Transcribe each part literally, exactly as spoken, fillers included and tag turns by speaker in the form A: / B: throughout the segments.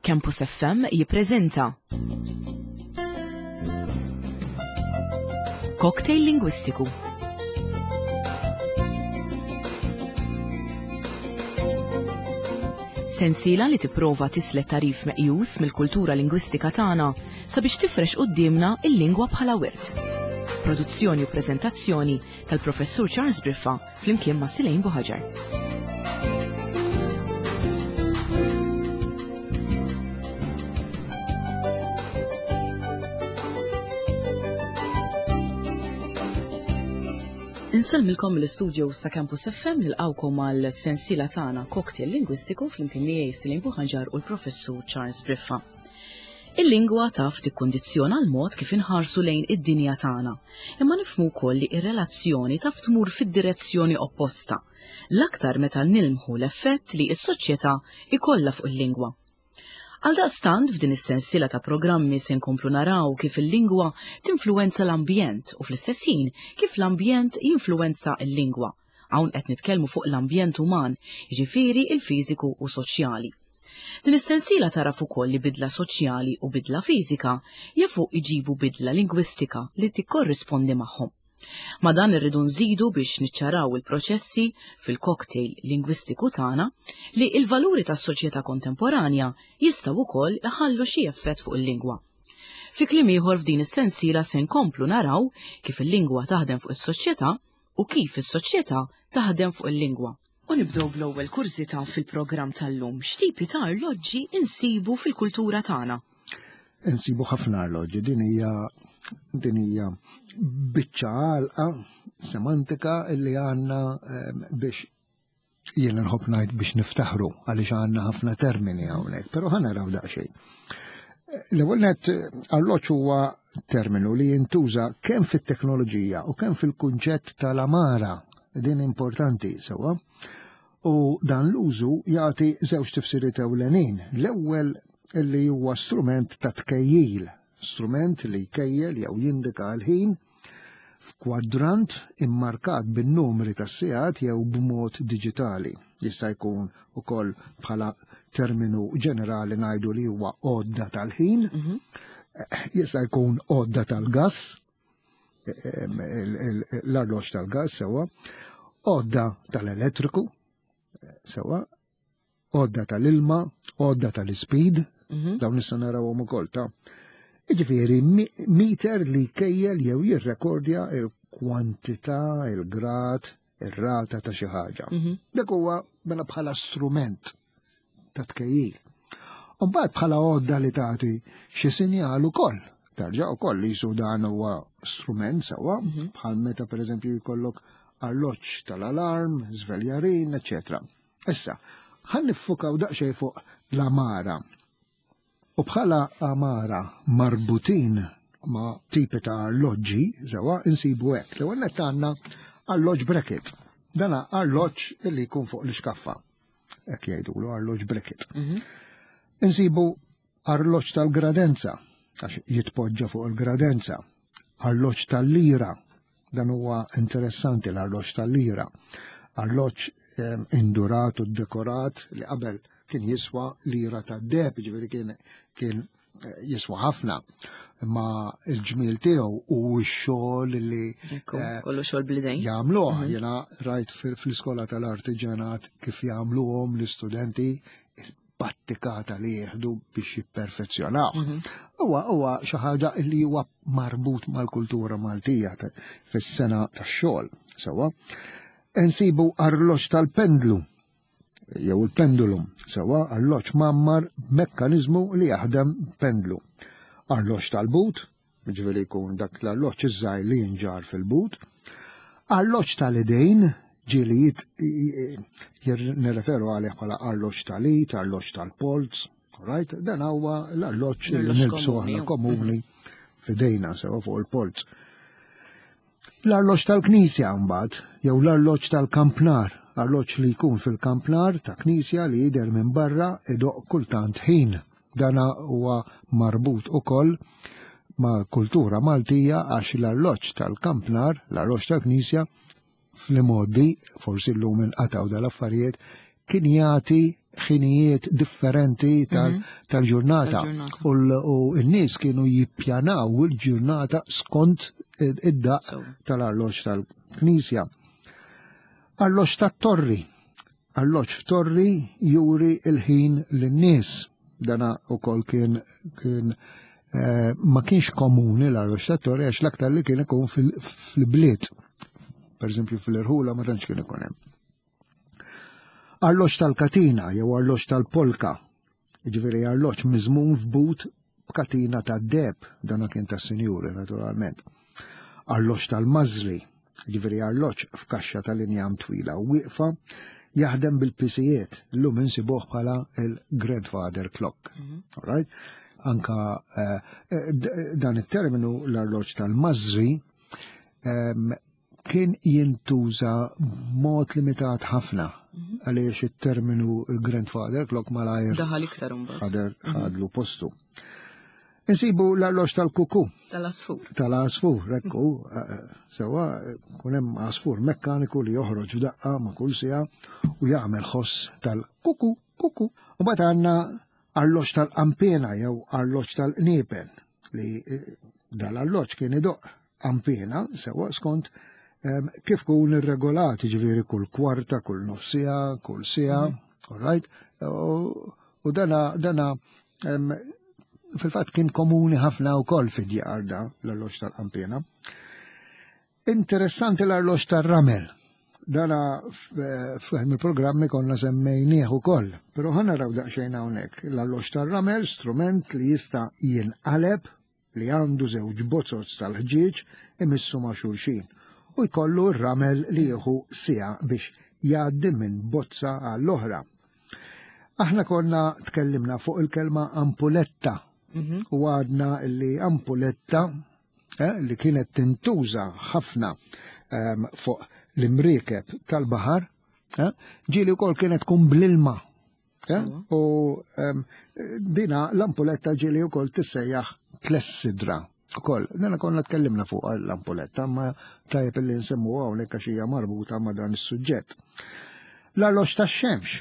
A: Campus F M jippreżenta Cocktail Lingwistiku. Sensiela li tipprova tislet tagħrif meqjus mill-kultura lingwistika tagħna sabiex tifrex quddiemna il-lingwa bħala wirt. Produzzjoni u preżentazzjoni tal-Professur Charles Briffa flimkien ma' Silejn Buħaġar. Insellmilkom mill-istudio sa' Campus F M, nilqawkom għal sensiela tagħna Cocktail Lingwistiku flimkien miegħi Silejn Buħaġar u l-Professur Charles Briffa. Il-lingwa taf tikkundizzjona l-mod kif inħarsu lejn id-dinja tagħna, imma nifhmu wkoll li r-relazzjoni taf tmur fid-direzzjoni opposta, l-aktar meta nilmħu l-effett li s-soċjetà ikollha fuq il-lingwa. Għaldaqstant, f'din is-sensiela ta' programmi se nkomplu naraw kif il-lingwa tinfluwenza l-ambjent u fl-istess ħin kif l-ambjent jinfluwenza l-lingwa. Hawn qed nitkellmu fuq l-ambjent uman, jiġifieri il-fiżiku u soċjali. Din is-sensiela taraf ukoll li bidla soċjali u bidla fiżika jafu iġibu bidla lingwistika li tikkorrispondi magħhom. Ma dan irridu nżidu biex niċċaraw il-proċessi fil-cocktail lingwistiku tagħna li il-valuri tas-soċjetà kontemporanja jistgħu wkoll iħallu xi effett fuq il-lingwa. Fi kliem ieħor, f'din is-sensiela se nkomplu naraw kif il-lingwa taħdem fuq is-soċjetà u kif is-soċjetà taħdem fuq il-lingwa. U nibdew bl-ewwel kurżità fil-programm tal-lum. X'tipi ta' arloġġi insibu fil-kultura tagħna?
B: Insibu ħafna arloġġi, din hija din hija biċċa għalqa semantika illi għandna ehm, biex jiena nħobb ngħid biex niftaħru għaliex għandna ħafna termini hawnhekk, però ħa naraw daqsxejn. L-ewwel net, arloġġ huwa terminu li jintuża kemm fit-teknoloġija u kemm fil-kunċett tal-għamara, din importanti sewwa. U dan l-użu jagħti żewġ tifsiriet ewlenin. L-ewwel illi huwa strument ta' tkejjil, strument li jkejjel jew jindika l-ħin f'kwadrant immarkat bin-numri tas-sigħat jew b'mod diġitali. Jista' jkun ukoll bħala terminu ġenerali ngħidu li huwa għodda tal-ħin,
A: mhm.
B: jista' jkun għodda tal-gass, l-arloġġ tal-gass sewwa, għodda tal-elettriku, sewwa, għodda tal-ilma, għodda tal-speed,
A: mhm.
B: dawn nista' narawhom ukoll ta' Jiġifieri meter li jkejjel jew jirrekordja il-kwantità, il-grad, ir-rata ta' xi ħaġa.
A: Mhm.
B: Dak huwa mela bħala strument ta' tkejjil. U mbagħad bħala għodda li tagħti xi sinjal ukoll. Tarġa' ukoll li jisu dan huwa strument sewwa,
A: mhm.
B: bħal meta pereżempju jkollok arloġġ tal-alarm, żveljarin, eċċetera. Issa, ħa niffukaw daqsxejn fuq l-għamara. U bħala għamara marbutin ma' tipi ta' arloġġi, sewwa, insibu hekk. L-ewwel nett għandna arloġġ bracket. Dana arloġġ li jkun fuq l-iskaffa. Hekk jgħidulu arloġġ bracket.
A: Mhm.
B: Insibu arloġġ tal-gradenza, għax jitpoġġa fuq il-gradenza. Arloġġ tal-lira, dan huwa interessanti l-arloġġ tal-lira. Arloġġ ehm, indurat u dekorat li qabel kien jiswa lira ta' deheb, ġifieri kien, kien eh, jiswa ħafna. Imma il-ġmiel tiegħu u x-xogħol li
A: Ekku,
B: eh,
A: kollu xogħol bl-idejn.
B: jagħmluh,
A: Mhm.
B: jiena rajt fil-iskola tal-artiġanat kif jagħmluhom l-istudenti, il-battikata li jieħdu biex jipperfezzjonaw.
A: Mhm.
B: Huwa huwa xi ħaġa li huwa marbut mal-kultura Maltija fis-sena tax-xogħol, sewwa. Insibu arloġġ tal-pendlu jew il-pendulum, sewwa, arloġġ mgħammar mekkaniżmu li jaħdem pendlu. Arloġġ tal-but, ġifieri jkun dak l-arloġġ iż-żgħir li jinġar fil-but. Arloġġ tal-idejn, ġieli nirreferu għalih bħala arloġġ tal-id, arloġġ tal-polz, right? Dan huwa l-arloġġ li
A: L-arloġġ
B: nilbsu
A: komuni,
B: aħna komuni f'idejna sewwa fuq il-polz. L-arloġġ tal-knisja mbagħad, jew l-arloġġ tal-kampnar, arloġġ li jkun fil-kampnar ta' knisja li jidher minn barra idoq kultant ħin. Dana huwa marbut ukoll ma' kultura Maltija għax l-arloġġ tal-kampnar, l-arloġġ tal-knisja, fl-modi, forsi llum inqatgħu dal-affarijiet, kien jagħti ħinijiet differenti
A: Mhm.
B: tal-ġurnata.
A: Tal-ġurnata.
B: U l- U n-nies kienu jippjanaw il-ġurnata skont id-daq
A: So.
B: tal-arloġġ tal-Knisja. Arloġġ tat-torri. Arloġġ f'torri juri il-ħin lin-nies. Dana ukoll kien kien eh, ma kienx komuni l-arloġġ tat-torri għax l-aktar li kien ikun fil- fil-bliet. Per eżempju fil-irħula ma tantx kien ikun hemm. Arloġġ tal-katina jew arloġġ tal-polka. Jiġifieri arloġġ miżmum f'but b'katina tad-deheb, dana kien tas-sinjuri naturalment. Arloġġ tal-mażri, ġifieri arloġġ f'kaxxa tal-injam twila u wieqfa, jaħdem bil-pisijiet, llum insibuh bħala il-grandfather clock. All right? Anka eh, eh, d- dan it-terminu l-arloġġ tal-mażri em, kien jintuża b'mod limitat ħafna għaliex it-terminu il-grandfather clock malajr
A: Daħal iktar imbagħad.
B: ħader ħadlu postu. Insibu l-arloġġ tal-kuku
A: Tal-asfur.
B: tal-għasfur, ekku, eh, sewa, kun hemm għasfur mekkaniku li joħroġ f'daqqa ma' kull siegħa u jagħmel ħoss tal-kuku, kuku. U mbagħad għandna arloġġ tal-qampina jew arloġġ tal-qniepen li eh, dal-arloġġ kien idoq qampina sewa skont em, kif kun irregolat, ġifieri kull kwarta, kull nofsija, kull siegħa, all right? U, u dana, dana em, fil-fatt kien komuni ħafna wkoll fid-djar da l-arloġġ tal-qampina. Interessanti l-arloġġ tar-ramel. Dana f'wieħed mill-programmi konna semmejnieh ukoll, però ħa naraw daqsxejn hawnhekk. L-arloġġ tar-ramel strument li jista' jinqaleb li għandu żewġ bozoz tal-ħġieġ imissu ma' xulxin u jkollu r-ramel li jieħu siegħa biex jgħaddi minn bozza għall-oħra. Aħna konna tkellimna fuq il-kelma ampuletta u għadna li ampuletta eh, li kienet tintuża ħafna em, fuq l-imriekeb tal-baħar, eh, ġieli wkoll kienet tkun bl-ilma. Eh, u em, dina l-ampuletta ġieli wkoll tissejjaħ klessidra. Ukoll, dana konna tkellimna fuq l-ampuletta, ma tajjeb li nsemmu hawnhekk għax hija marbuta ma' dan is-suġġett. L-arloġġ tax-xemx,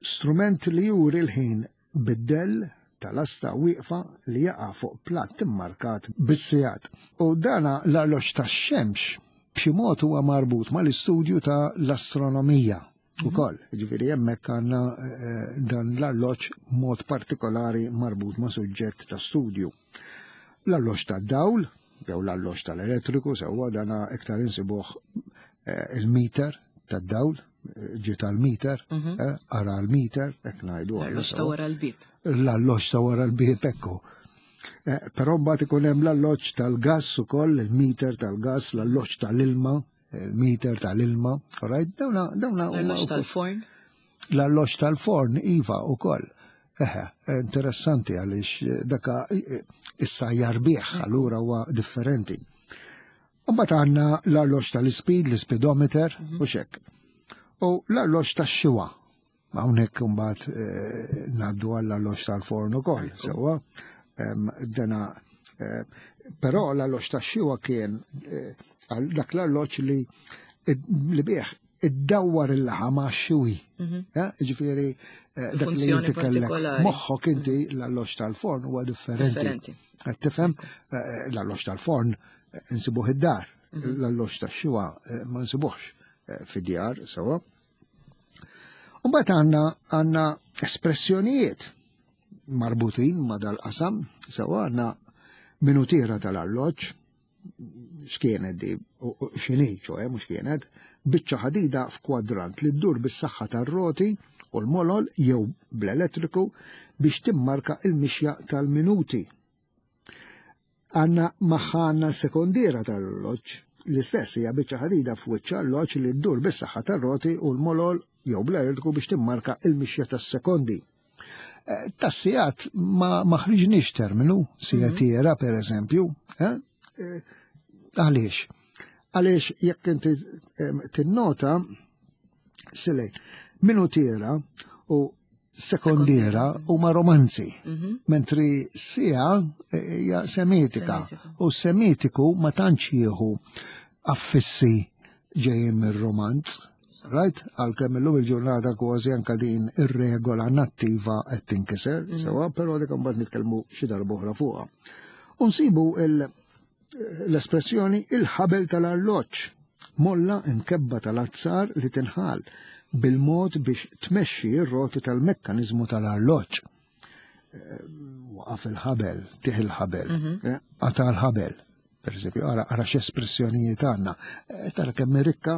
B: strument li juri l-ħin bid-dell tal-asta wieqfa li jaqa' fuq platt immarkat bis-sigħat. U dana l-arloġġ tax-xemx b'xi mod huwa marbut mal-istudju ta' l-astronomija ukoll. Ġifieri hemmhekk għandna eh, dan l-arloġġ mod partikolari marbut ma' suġġett ta' studju. L-arloġġ tad-dawl, jew l-arloġġ tal-elettriku, sewwa dana iktar insibuh eh, il-meter tad-dawl, eh, ġi tal-meter, eh, ara l-meter, hekk ngħidu.
A: L-arloġġ ta' wara l-bib.
B: L-arloġġ ta' wara l-bib, ekku. Eh, Però mbagħad ikun hemm l-arloġġ tal-gass ukoll, il-meter tal-gass, l-arloġġ tal-ilma, il-meter tal-ilma, all right? Dawna dawna huma
A: L-arloġġ
B: wkoll-
A: tal-forn.
B: l-arloġġ tal-forn iva ukoll. Eħe, interessanti għaliex eh, daka eh, issa jarbieħ, allura huwa differenti. Mbagħad għandna l-arloġġ tal-speed, l-speedometer u xek. U l-arloġġ tax-xiwa. Hawnhekk imbagħad eh, ngħaddu għall-arloġġ tal-forn ukoll, sewwa. Em, Dana eh, però l-arloġġ tax-xiwa kien eh, għal dak l-arloġġ li li bih iddawwar il-laħam għax-xiwi. Ja, Ġifieri eh, dak li
A: Funzjoni
B: inti kellek
A: partikolari.
B: moħħok inti l-arloġġ tal-forn huwa differenti.
A: Differenti.
B: Qed tifhem eh, l-arloġġ tal-forn eh, insibuh id-dar, l-arloġġ tax-xiwa eh, ma nsibuhx eh, fid-djar sewwa. Mbagħad għandna għandna espressjonijiet marbutin ma' dal-qasam, sewwa għandna minutiera tal-arloġġ, x'kienet di, u- u x'inhi, ċoe, mhux kienet, biċċa ħadida f'kwadrant li ddur bis-saħħa tar-roti u l-molol jew bl-elettriku biex timmarka il-mixja tal-minuti. Għanna magħha għandna sekondiera tal-arloġġ, l-istess hija biċċa ħadida f'wiċċ arloġġ li ddur bis-saħħa tar-roti u l-molol jew bl-elettriku biex timmarka il-mixja tas-sekondi. Eh, Tas-sigħat ma ma ħriġniex terminu, sigħtiera per eżempju, eh? Eh, Għaliex? Għaliex jekk inti em, tinnota silej, minutiera u sekondiera huma romanzi, mentri siegħa hija semitika.
A: Semitika.
B: U semitiku ma tantx jieħu affissi ġejjin mir-romanz. Right? Għalkemm illum il-ġurnata kważi anka din ir-regola nattiva qed tinkiser, mm. sewa, però dik imbagħad nitkellmu xi darba oħra fuqha. U nsibu l-espressjoni il-ħabel tal-arloġġ, molla imkebba tal-azzar li tinħal bil-mod biex tmexxi r-roti tal-mekkaniżmu tal-arloġġ. Waqaf il-ħabel, tih il-ħabel, qata' l-ħabel. Per eżempju, ara, ara x'espressjonijiet għandna. Tara kemm rikka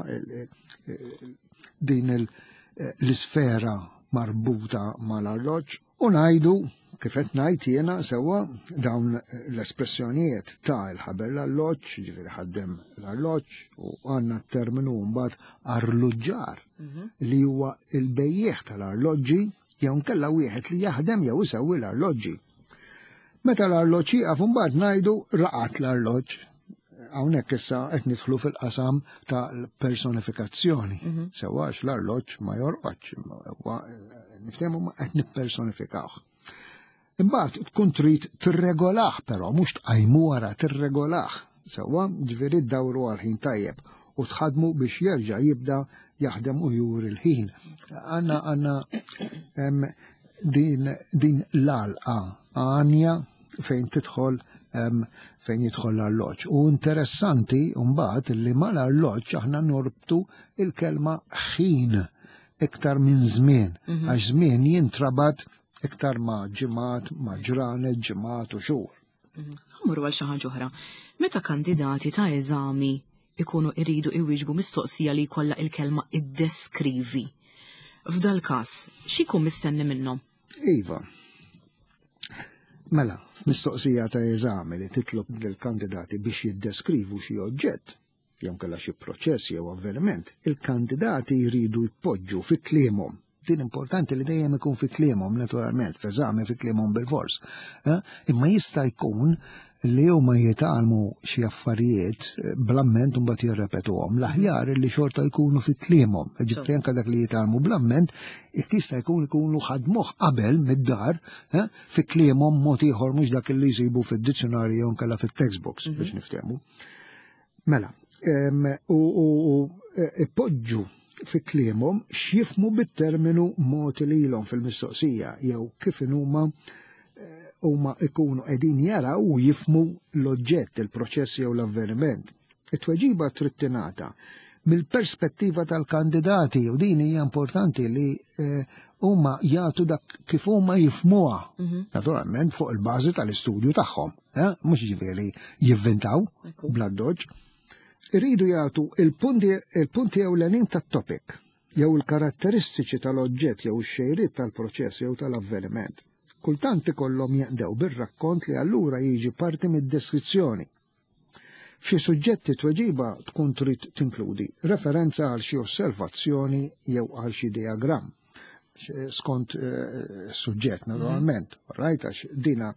B: din l-isfera marbuta mal-arloġġ u ngħidu kif qed ngħid jiena sewwa dawn l-espressjonijiet ta' il-ħabel l-arloġġ, ġifieri ħaddem l-arloġġ, u għandna t-terminu mbagħad arluġġar li huwa il-bejjieħ tal-arloġġi jew nkella wieħed li jaħdem jew isewwi l-arloġġi. Meta l-arloġġ jieqaf imbagħad ngħidu raqat l-arloġġ. Hawnhekk issa qed nidħlu fil-qasam tal-personifikazzjoni. Sewwa għax l-arloġġ ma jorqodx, niftehmu ma qed nippersonifikawh. Imbagħad tkun trid tirregolah però mhux tqajmu wara tirregolah. Sewwa ġifieri ddawru għal ħin tajjeb u tħadmu biex jerġa' jibda jaħdem u juri l-ħin. Għandna għandna din din l-għalqa għanja fejn tidħol fejn jidħol l-arloġġ. U interessanti mbagħad li mal-arloġġ aħna norbtu il-kelma ħin iktar minn żmien, għax żmien jintrabat iktar ma' ġimgħat, ma' ġranet, ġimgħat u xhur.
A: Ħa mmorru għal xi ħaġa oħra. Meta kandidati ta' eżami ikunu iridu iwieġbu mistoqsija li jkollha il-kelma iddeskrivi. F'dal każ, x'ikun mistenni minnhom?
B: Iva. Mela, f'mistoqsija ta' eżami li titlob lill-kandidati biex jiddeskrivu xi oġġett, jew kellha xi proċess jew avveniment, il-kandidati jridu jpoġġu fi kliemhom. Din importanti li dejjem ikun fi kliemhom, naturalment, f'eżami fi kliemhom bil-fors. Imma jista' jkun li huma jitgħallmu xi affarijiet bl-amment u mbagħad jirrepetuhom. L-aħjar li xorta jkunu fi kliemhom. Ġifieri anke dak li jitgħallmu bl-amment, jista' jkun ikunu ħadmuh qabel mid-dar fi kliemhom mod ieħor mhux dak li jsibu fid-dizzjonarju jew inkella fit-textbooks biex niftehmu. Mela, u ipoġġu fi kliemhom x'jifhmu bit-terminu mogħti lilhom fil-mistoqsija jew kif huma huma ikunu qegħdin jaraw u jifhmu l-oġġett, il-proċess jew l-avveniment. It-tweġiba trid tingħata mill-perspettiva tal-kandidati u din hija importanti li huma jagħtu dak kif huma jifhmuha. Naturalment fuq il-bażi tal-istudju tagħhom, mhux ġifieri jivvintaw bla doġġ. Iridu jagħtu il-punti ewlenin tat-topic jew il-karatteristiċi tal-oġġett jew ix-xejriet tal-proċess jew tal-avveniment. Kultant ikollhom jeqdew bir-rakkont li allura jiġi parti mid-deskrizzjoni. F'xi suġġetti tweġiba tkun trid tinkludi referenza għal xi osservazzjoni jew għal xi diagramm skont suġġett naturalment, right, għax dina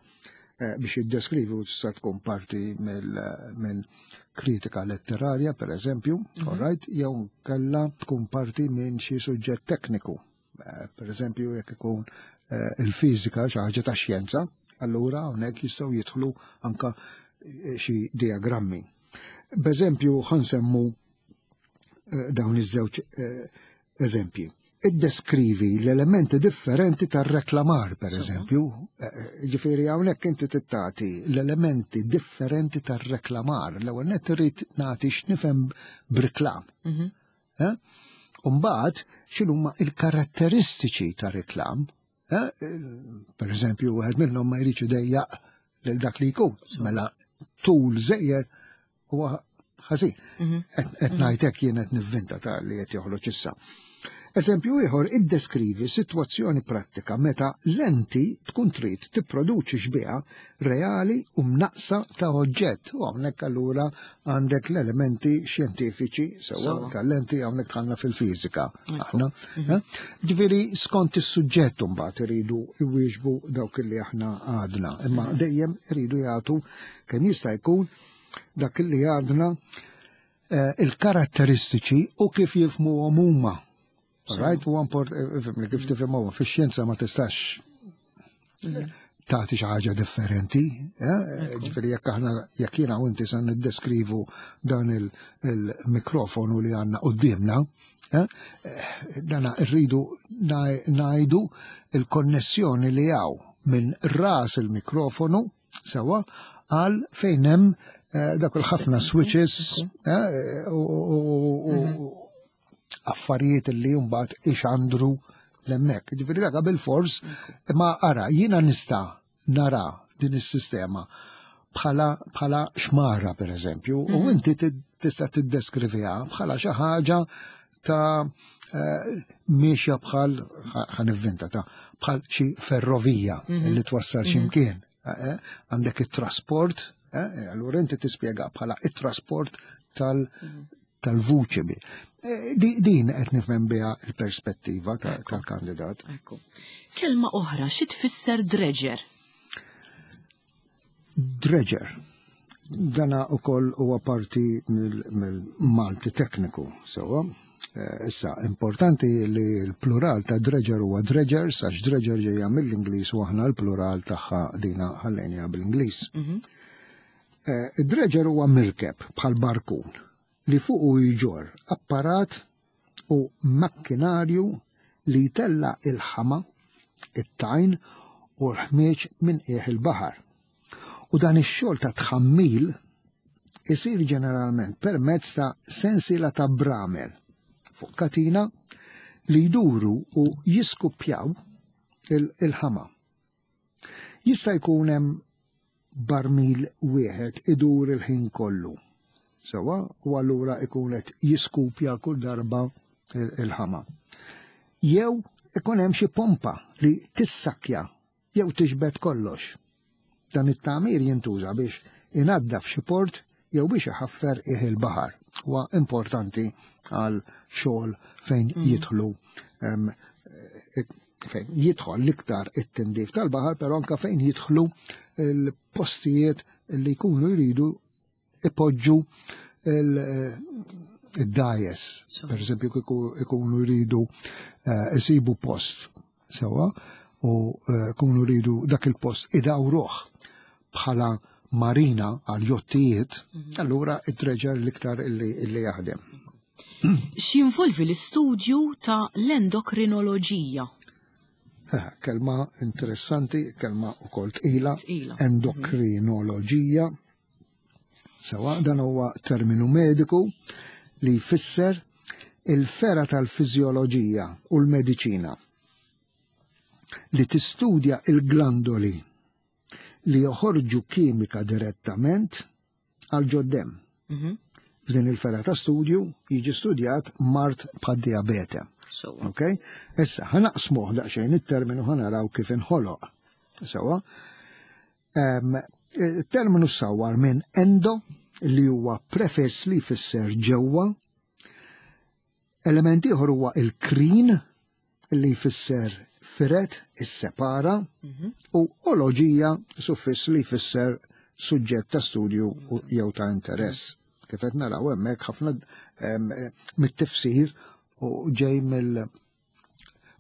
B: biex jiddeskrivi u tista' tkun parti minn kritika letterarja, per eżempju, right, jew kellha tkun parti minn xi suġġett tekniku. Per eżempju, jekk ikun il-fiżika xi ħaġa ta' xjenza, allura hawnhekk jistgħu jidħlu anka xi diagrammi. B'eżempju ħansemmu dawn iż-żewġ eżempji. Iddeskrivi l-elementi differenti tar-reklamar, per eżempju. Ġifieri hawnhekk inti tittati l-elementi differenti tar-reklamar. L-ewwel nett irid nagħti x'nifhem b'reklam. U mbagħad x'inhuma l-karatteristiċi tar-reklam. Per eżempju, wieħed minnhom ma jridx idejjaq lil dak li jkun. Mela tul żejjed huwa ħażin. Qed ngħidlek jien qed nivvinta ta' li qed joħroġ issa. Eżempju ieħor, iddeskrivi sitwazzjoni prattika meta lenti tkun trid tipproduċi xbieha reali u mnaqsa ta' oġġett. U hawnhekk allura għandek l-elementi xjentifiċi sewwa tal-lenti hawnhekk dħalna fil-fiżika aħna. Ġifieri skont is-suġġett imbagħad iridu jwieġbu dawk li aħna għadna, imma dejjem iridu jagħtu kemm jista' jkun dak li għadna il-karatteristiċi u kif jifhmuhom huma. Right, u import, kif tifhimhom, fix-xjenza ma tistax tagħti xi ħaġa differenti. Eh? Ġifieri jekk aħna jekk jiena u inti se niddeskrivu dan il-mikrofonu li għandna quddiemna, eh? Dana rridu ngħidu il-konnessjoni li hawn minn ras il-mikrofonu sewa għal fejn hemm eh, dak il-ħafna switches u mhm. affarijiet li mbagħad ixandru l-hemmhekk. Ġifieri dak bil-fors, ma ara, jiena nista' nara din is-sistema bħala bħala xmara per eżempju, u mhm. inti tista' tiddeskriviha bħala xi ħaġa ta' eh, miexja bħal, ħa nivvinta, ta' bħal xi ferrovija mhm. li twassal xi mhm. mkien. Eh, eh, għandek it-trasport, allura inti tispjega bħala it-trasport tal- tal-vuċi. Din qed nifhem biha il-perspettiva tal-kandidat.
A: Kelma oħra, xi tfisser dredger?
B: Dredger. Dana ukoll huwa parti mill-Malti tekniku, sewa. Eh, issa, importanti li l-plural ta' dredger huwa dredgers, għax dredger ġejja mill-Ingliż u aħna l-plural tagħha dina ħallejniha bil-Ingliż. Mhm. Eh, dredger huwa mirkeb bħal barkun li fuqu jġor apparat u makkinarju li jtella il-ħama, it-tajn u l-ħmieġ minn qiegħ il-baħar. U dan ix-xogħol ta' tħammil isir ġeneralment permezz ta' sensiela ta' bramel fuq katina li jduru u jiskuppjaw il-ħama. Jista' jkun hemm barmil wieħed idur il-ħin kollu. Sewa, u allura ikun qed jiskupja kull darba il-ħama. Jew ikun hemm xi pompa li tissakja jew tiġbed kollox. Dan it-tagħmir jintuża biex inaddaf xi port jew biex iħaffer qiegħ il-baħar. Huwa importanti għal xogħol fejn mm. jidħlu fejn jidħol l-iktar it-tindif tal-baħar, però anka fejn jidħlu l-postijiet li jkunu jridu ipoġġu il-dgħajjes. Per eżempju, ikunu jridu isibu post sewa u jkunu jridu dak il-post idawruh bħala marina għal jottijiet, mhm. allura id-dredger l-iktar illi jaħdem.
A: X'jinvolvi l-istudju ta' l-endokrinoloġija?
B: Eh, kelma interessanti, kelma ukoll tqila, endokrinoloġija. Sewa, dan huwa terminu mediku li jfisser il-fergħa tal-fiżjoloġija u l-mediċina li tistudja il-glandoli li joħorġu kimika direttament għal ġod-demm. Mhm. F'din il-fergħa ta' studju jiġi studjat mard bħad-diabete. Ok? Issa, ħa naqsmuh daqsxejn it-terminu, ħa naraw kif inħoloq. Sewa. Il-terminu sawar minn endo, li huwa prefiss li jfisser ġewwa. Element ieħor huwa il-krin, li jfisser firet, is-separa, mhm. u oloġija, suffiss li jfisser suġġett ta' studju jew ta' interess. Kif qed naraw hemmhekk, ħafna mit-tifsir u ġej mill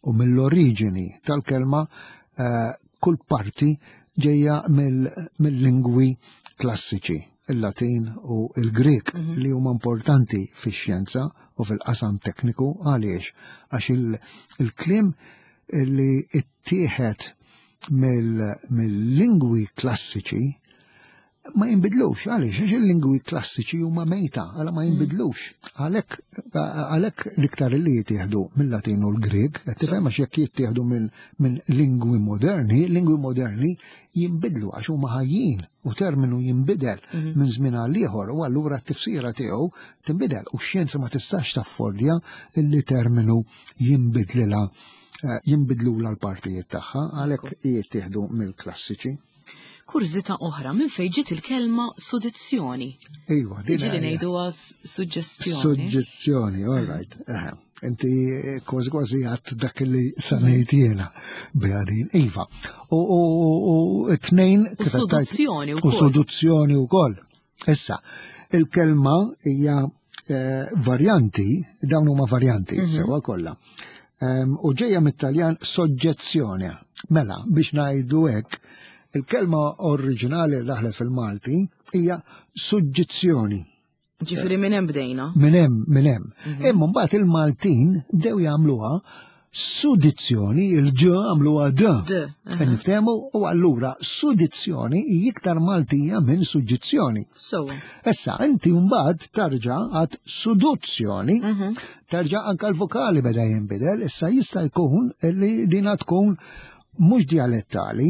B: u mill-oriġini tal-kelma, eh, kull parti ġejja mill-lingwi klassiċi, il-Latin u il-Grek, mhm. li huma importanti fix-xjenza u fil-qasam tekniku. Għaliex? Għax il-kliem li ittieħed mill-lingwi klassiċi ma jinbidlux. Għaliex? Għax il-lingwi klassiċi huma mejta, għala ma jinbidlux. Għalhekk għalhekk l-iktar li jittieħdu mill-Latin u l-Grek, qed tifhem, għax jekk jittieħdu minn lingwi moderni, lingwi moderni jinbidlu għax huma ħajjin u terminu jinbidel mhm. minn żmien għal ieħor u allura t-tifsira tiegħu tinbidel u x-xjenza ma tistax taffordja li terminu jinbidlilha eh, jinbidlula l-partijiet tagħha, għalhekk jittieħdu mill-klassiċi.
A: Kurżità oħra, minn fejn ġiet il-kelma sudizzjoni?
B: Iva,
A: din Ġieli ngħiduha suġġestjoni.
B: Suġġestjoni, all right. Inti kważi kważi għat dak li sanejt jiena biha din. Iva. U t-tnejn.
A: U suduzzjoni
B: U suduzzjoni wkoll. Issa, il-kelma hija eh, varjanti, dawn huma varjanti, mhm. sewa kollha. U ġejja mit-Taljan soġġezzjoni. Mela, biex ngħidu hekk, Il-kelma oriġinali li daħlet fil-Malti hija suġġizzjoni.
A: Ġifieri minn hemm bdejna.
B: Minn hemm, minn hemm. Imma mbagħad il-Maltin bdew jagħmluha sudizzjoni, il-ġ għamluha d.
A: D.
B: Qed niftehmu u allura sudizzjoni hi iktar Maltija minn suġġizzjoni.
A: Sewwa.
B: Issa, inti mbagħad tarġa' għad suduzzjoni, tarġa' anka l-vokali beda jinbidel, issa jista' jkun li dina tkun mhux dialettali,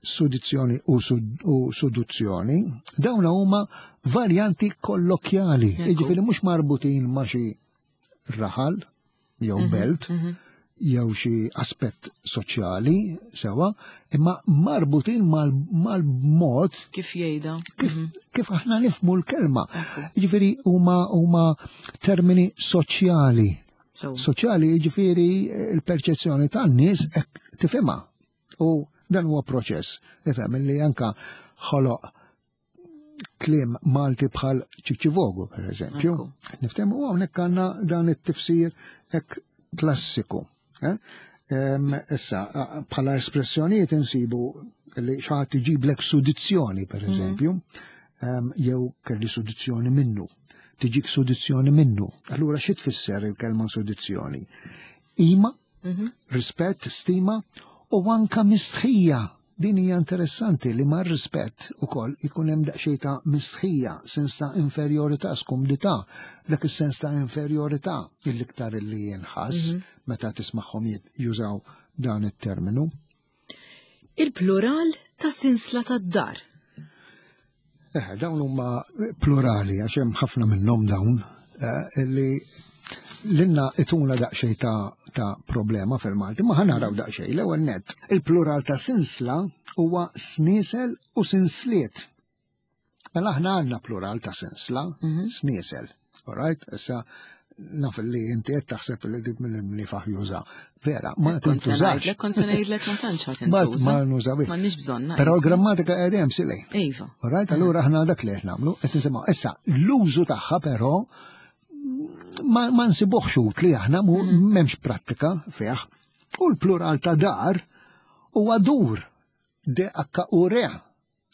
B: sudizzjoni u, sud, u suduzzjoni, dawn huma varjanti kollokjali,
A: Ekku.
B: jiġifieri mhux marbutin ma' xi raħal jew belt, jew xi aspett soċjali sewa, imma marbutin mal- mal-mod
A: Kif jgħidha?
B: kif, kif aħna nifhmu l-kelma. Jiġifieri huma huma termini soċjali.
A: Sewwa.
B: Soċjali jiġifieri il-perċezzjoni tan-nies hekk tifhimha. U dan huwa proċess, ifhem li anka ħoloq kliem Malti bħal ċiċivogu, per eżempju.
A: Ekku.
B: Niftehmu u hawnhekk għandna dan it-tifsir hekk klassiku. eh? Em, Issa, a- bħala espressjonijiet insibu li xi ħadd iġiblek sudizzjoni, per eżempju, em, jew kelli sudizzjoni minnu. Tiġik sudizzjoni minnu. Allura xi tfisser il-kelma sudizzjoni? Ima, rispett, stima u anka mistħija. Din hija interessanti li mar rispett ukoll ikun hemm daqsxejn ta' mistħija, sens ta' inferjorità, skumdità, dak is-sens ta' inferjorità il-iktar li jinħass meta tismagħhom jit- jużaw dan it-terminu.
A: Il-plural ta' sinsla tad-dar.
B: Eh, dawn huma plurali, għax hemm ħafna minnhom dawn, eh, li l-inna ituna daqsxejn ta', ta' problema fil-Malti, ma ħa naraw daqsxejn, l-ewwel nett. Il-plural ta' sinsla huwa sniesel u sinsliet. Mela aħna għandna plural ta' sinsla, sniesel. All right? Issa naf li inti qed taħseb li dik mill-imniefaħ juża. Vera, ma
A: Kont se
B: tintużax.
A: ngħidlek, kont se ngħidlek ma tantx ħadd
B: Ma
A: intuża.
B: ma nużawih.
A: M'għandniex bżonna.
B: Però
A: issa.
B: l-grammatika qegħdem hemm silej.
A: Iva.
B: All right, allura aħna dak li qed nagħmlu, qed nisimgħu. Issa, l-użu tagħha però ma, ma nsibuħx utli aħna mu m'hemmx prattika fih. U l-plural ta' dar huwa dur. D H U R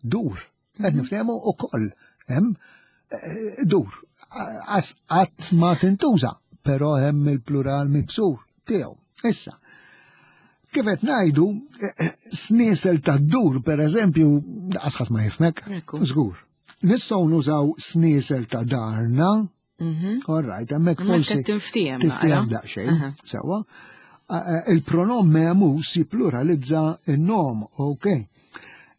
B: dur. Qed niftehmu ukoll hemm eh, dur. Għas qatt ma tintuża, però hemm il-plural miksur tiegħu. Issa, kif qed ngħidu, eh, eh, sniesel ta' dur, per eżempju, għasħat ma jifmek,
A: Ekku.
B: żgur. Nistgħu nużaw sniesel ta' darna,
A: Mhm.
B: all right, hemmhekk
A: Hemmhekk
B: forsi
A: qed tinftiehem
B: tinftiehem
A: naqra.
B: daqsxejn,
A: Aha.
B: sewwa. Eh, Il-pronom memus jippluralizza il-nom, ok.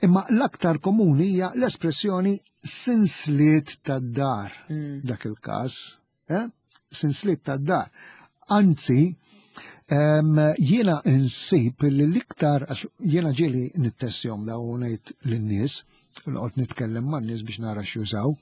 B: Imma l-aktar komuni hija l-espressjoni sinsliet tad-dar,
A: Mm.
B: dak il-każ, eh? Sinsliet tad-dar. Anzi, em, jiena insib li l-iktar, għax jiena ġieli nittestjahom da u ngħid lin-nies, noqgħod nitkellem man-nies biex nara x'jużaw,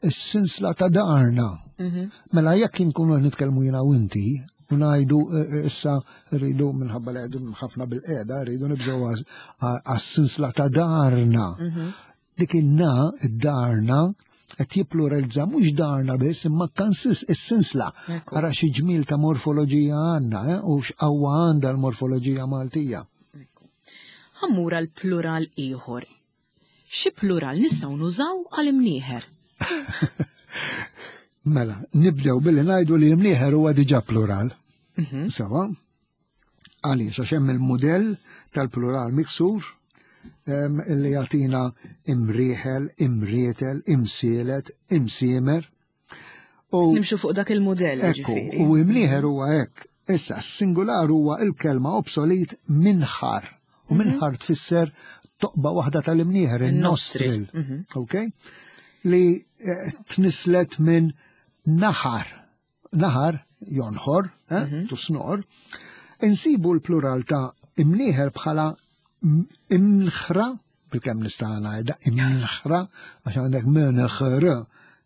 B: is-sinsla ta' darna.
A: Mhm.
B: Mela jekk inkunu qed nitkellmu jiena u inti, u ngħidu eh, eh, issa rridu minħabba li qegħdu ħafna bil-qiegħda, rridu nibżgħu għas- għas-sinsla ta' darna.
A: Mhm.
B: Dik in-na, id-darna, qed jippluralizza mhux darna biss imma kansis is-sinsla.
A: Ekku.
B: Ara xi ġmiel ta' morfoloġija għandna, eh, u x'qawwa għandha l-morfoloġija Maltija.
A: Ekku. Ħa mmur għal plural ieħor. Xi plural nistgħu nużaw għal imnieħer?
B: Mela, nibdew billi ngħidu li imnieħer huwa diġà plural.
A: Mhm.
B: Sewwa. Għaliex, għax hemm il-mudell tal-plural miksur em, li jagħtina imrieħel, imrietel, imsielet, imsiemer. U
A: Nimxu fuq dak il-mudell
B: ekku,
A: ġifieri.
B: u imnieħer huwa hekk. Issa, s-singular huwa il-kelma obsolit minħar. U minħar tfisser toqba waħda tal-imnieħer, il-nostril.
A: Mhm.
B: Ok? Li eh, tnislet minn naħar. Naħar, jonħor, eh, tusnor. Insibu l-plural ta' imnieħer bħala m- imnħra, bil-kemm nista' ngħidha imnħra, għax għandek mnħr,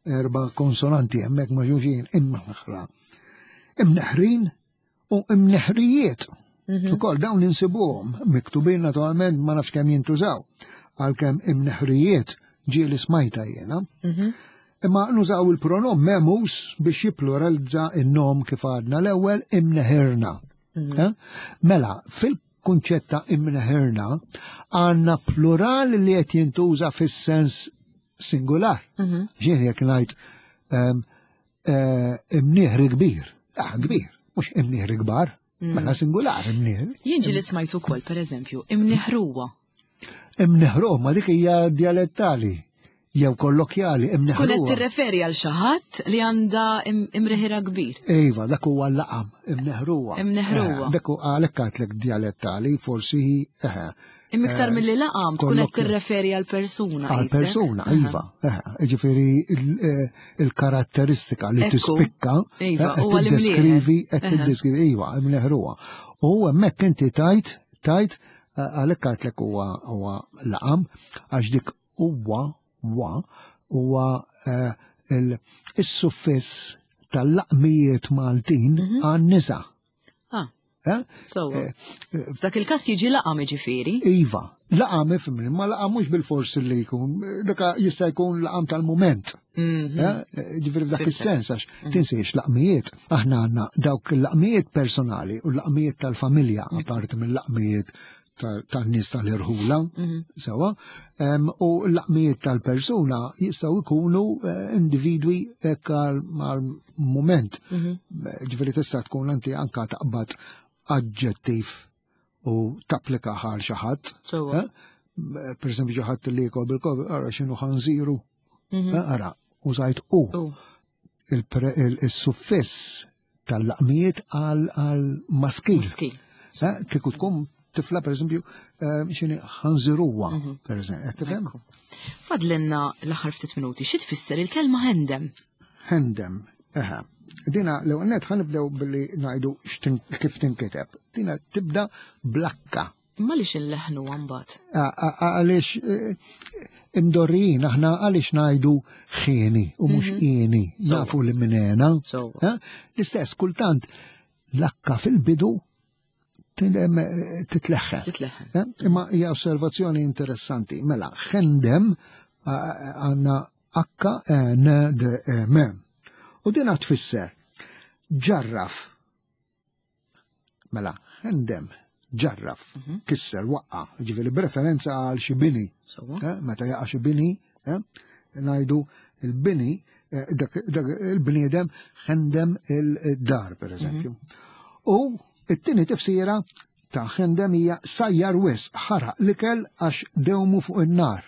B: erba' konsonanti hemmhekk ma' xulxin, imnħra. Imneħrin u imneħrijiet. Ukoll dawn insibuhom miktubin naturalment ma nafx kemm jintużaw, għalkemm imneħrijiet ġieli smajta jiena.
A: Mhm.
B: Imma nużaw il-pronom memus biex jippluralizza il-nom kif għadna l-ewwel imneħirna. Eh? Mela, fil il-kunċett ta' imneħirna għandna plural li qed jintuża fis-sens singular.
A: Mhm.
B: Ġien jekk ngħid ehm, eh, imnieħri kbir. Ah, kbir, mhux imnieħri kbar, mela singular imnieħri.
A: Jien ġieli smajt ukoll, pereżempju, imneħruwa.
B: Imneħru, ma dik hija dialettali jew kollokjali,
A: Tkun qed
B: imneħruwa.
A: tirreferi għal xi ħadd li għandha im- imreħira kbir.
B: Iva, dak huwa l-laqam, imneħruwa.
A: Imneħruwa.
B: Eh, Dak huwa għalhekk għedtlek dialettali, forsi eh,
A: Imma iktar milli laqam tkun qed
B: kollokjali.
A: tirreferi għal persuna.
B: Għal
A: qisek.
B: persuna,
A: Aha.
B: iva. eh, Ġifieri il- eh, il-karatteristika li
A: Ekku.
B: tispikka,
A: Iva,
B: eh,
A: huwa
B: qed
A: l-imnieħer.
B: tiddeskrivi, qed
A: Aha.
B: tiddeskrivi, iva, imneħruwa. U hemmhekk inti tajt, tajt, eh, għalhekk għedtlek huwa huwa laqam, għax dik huwa wa huwa eh, il- is-suffiss tal-laqmijiet Maltin għan-nisa.
A: Ah,
B: Eh?
A: sewwa. F'dak il-każ jiġi laqam jiġifieri.
B: Iva, laqam ifhimni, ma laqam mhux bil-fors li jkun, dak jista' jkun laqam tal-moment.
A: Mhm.
B: Eh, Ġifieri f'dak
A: Fhimtek.
B: is-sens għax tinsiex laqmijiet. Aħna għandna dawk il-laqmijiet personali u l-laqmijiet tal-familja, apparti mill-laqmijiet tan-nies tal-irħula, sewwa, em, u l-laqmijiet tal-persuna jistgħu jkunu eh, individwi hekk għal mument. Ġifieri tista' tkun anti anka taqbad aġġettiv u tapplika għal xi ħadd.
A: Sewwa.
B: Eh? Per esempio, xi ħadd li jikol bil-kob, ara x'inhu ħanżiru. Eh, Ara, użajt u
A: U.
B: il-pre- il- il-suffiss tal-laqmijiet għal għal maskil.
A: Maskil.
B: Eh, Kieku tkun tifla, per esempio, eh, x'inhi ħanżiruwa, per esempio. Qed tifhem?
A: Ekku. Fadlinna l-aħħar ftit minuti, xi tfisser il-kelma hendem?
B: Hendem, eħe. Dina, l net ħa nibdew billi ngħidu x'tin- kif tinkiteb. Dina tibda bl-akka.
A: Imma li x'inleħnu mbagħad.
B: A- a- Għaliex eh, imdorrijin, aħna għaliex ngħidu ħieni u mhux ieni, nafu li minena.
A: Sewwa.
B: Eh? L-istess, kultant l-akka fil-bidu tin- eh, titleħħen.
A: Titleħħen.
B: Eh? Imma hija osservazzjoni interessanti. Mela, ħendem għandna H N D M. U dina tfisser ġarraf. Mela, ħendem, ġarraf, kisser, waqqa, ġifieri b'referenza għal xi bini.
A: Sewwa.
B: Eh, Meta jaqa' xi bini, eh, ngħidu il-bini, eh, dak dak il-bniedem ħendem il-dar, per eżempju. U it-tieni tifsira ta' ħendem hija sajjar wisq, ħaraq l-ikel għax dewmu fuq in-nar.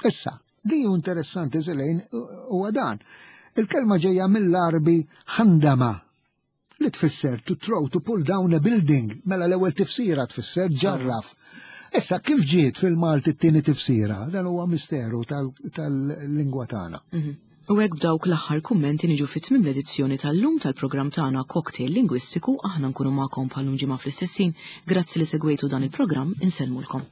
B: Issa, li hu interessanti zelejn huwa dan. Il-kelma ġejja mill-Arbi ħandama li tfisser to throw, to pull down a building, mela l-ewwel tifsira tfisser ġarraf. Issa kif ġiet fil-Malti t-tieni tifsira? Dan huwa misteru tal- tal-lingwa tagħna.
A: U hekk b'dawk l-aħħar kummenti niġu fit tmiem l-edizzjoni tal-lum tal-programm tagħna Cocktail Lingwistiku aħna nkunu magħkom bħal ġimgħa fl-istess ħin. Grazzi li segwejtu dan il-programm insellmulkom.